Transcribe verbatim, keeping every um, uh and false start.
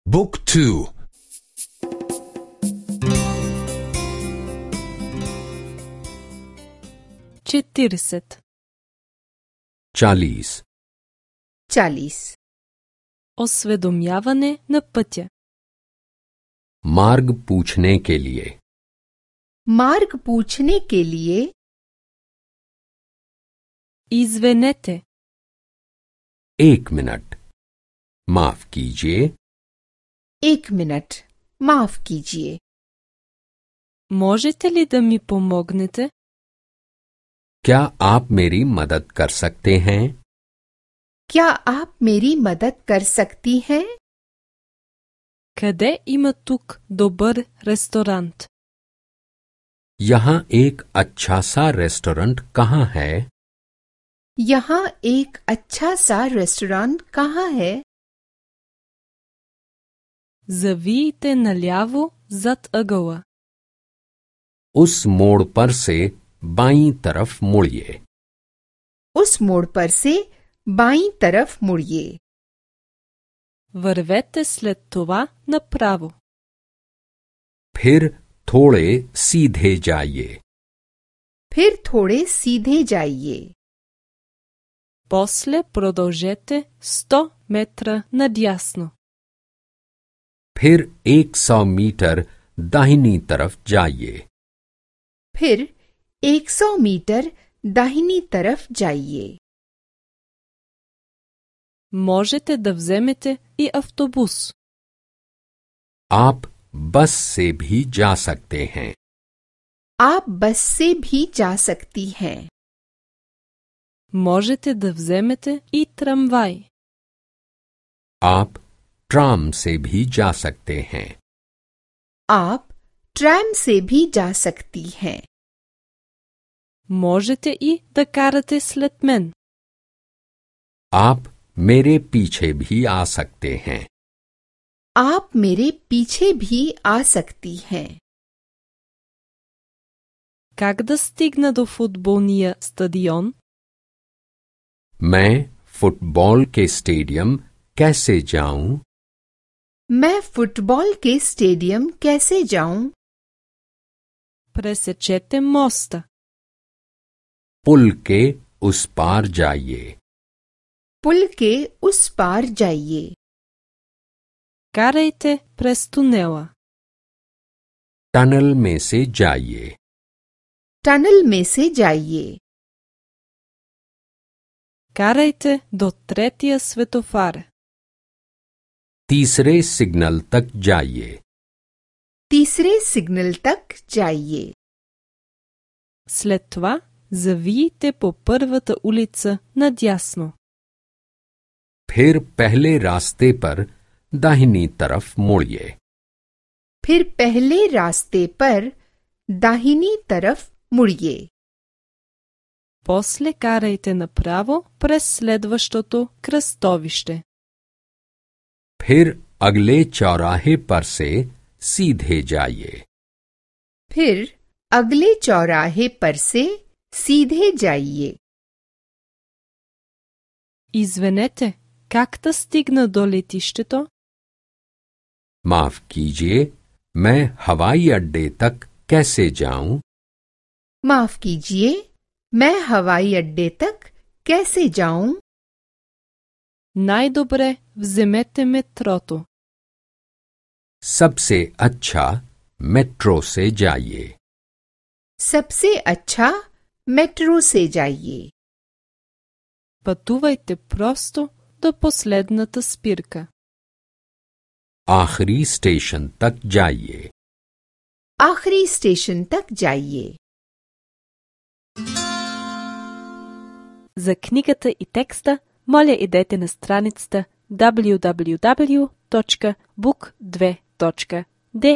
Book two. четиридесет. चालीस. चालीस। Осведомяване на пътя. मार्ग पूछने के लिए. मार्ग पूछने के लिए। Извинете. एक मिनट. माफ कीजिए. एक मिनट, माफ कीजिए। Можете ли да ми помогнете? क्या आप मेरी मदद कर सकते हैं? क्या आप मेरी मदद कर सकती हैं? Къде има тук добър ресторант? यहाँ एक अच्छा सा रेस्टोरेंट कहाँ है? यहाँ एक अच्छा सा रेस्टोरेंट कहाँ है? Завийте наляво зад ъгъла. उस मोड़ पर से बाईं तरफ मुड़िए. उस मोड़ पर से बाईं तरफ मुड़िए। Вървете след това направо. फिर थोड़े सीधे जाइए. फिर थोड़े सीधे जाइए। После продължете сто метра надясно. फिर एक सौ मीटर दाहिनी तरफ जाइए. फिर एक सौ मीटर दाहिनी तरफ जाइए। Можете да вземете и автобус. आप बस से भी जा सकते हैं. आप बस से भी जा सकती हैं। Можете да вземете и трамвай. आप ट्राम से भी जा सकते हैं. आप ट्रैम से भी जा सकती हैं। Можете и да карате след мен. आप मेरे पीछे भी आ सकते हैं. आप मेरे पीछे भी आ सकती हैं। Как да стигна до футболния стадион? मैं फुटबॉल के स्टेडियम कैसे जाऊं? मैं फुटबॉल के स्टेडियम कैसे जाऊं? Пресечете моста. पुल के उस पार जाइए. पुल के उस पार जाइए। Карайте през тунела. टनल में से जाइए. टनल में से जाइए। Карайте до третия светофар. तीसरे सिग्नल तक जाइए. तीसरे सिग्नल तक जाइए। След това завийте по първата улица надясно. फिर पहले रास्ते पर दाहिनी तरफ मुड़िए. फिर पहले रास्ते पर दाहिनी तरफ मुड़िए। После карайте направо през следващото кръстовище. फिर अगले चौराहे पर से सीधे जाइए. फिर अगले चौराहे पर से सीधे जाइए। Извинете, как да стигна до летището? माफ कीजिए, मैं हवाई अड्डे तक कैसे जाऊं? माफ कीजिए, मैं हवाई अड्डे तक कैसे जाऊं? Най-добре вземете метрото. सबसे अच्छा मेट्रो से जाइए. सबसे अच्छा मेट्रो से जाइए। Пътувайте просто до последната спирка. आखिरी स्टेशन तक जाइए. आखिरी स्टेशन तक जाइए। За книгата и текста, моля идете на страницата даблю даблю даблю точка бук две точка де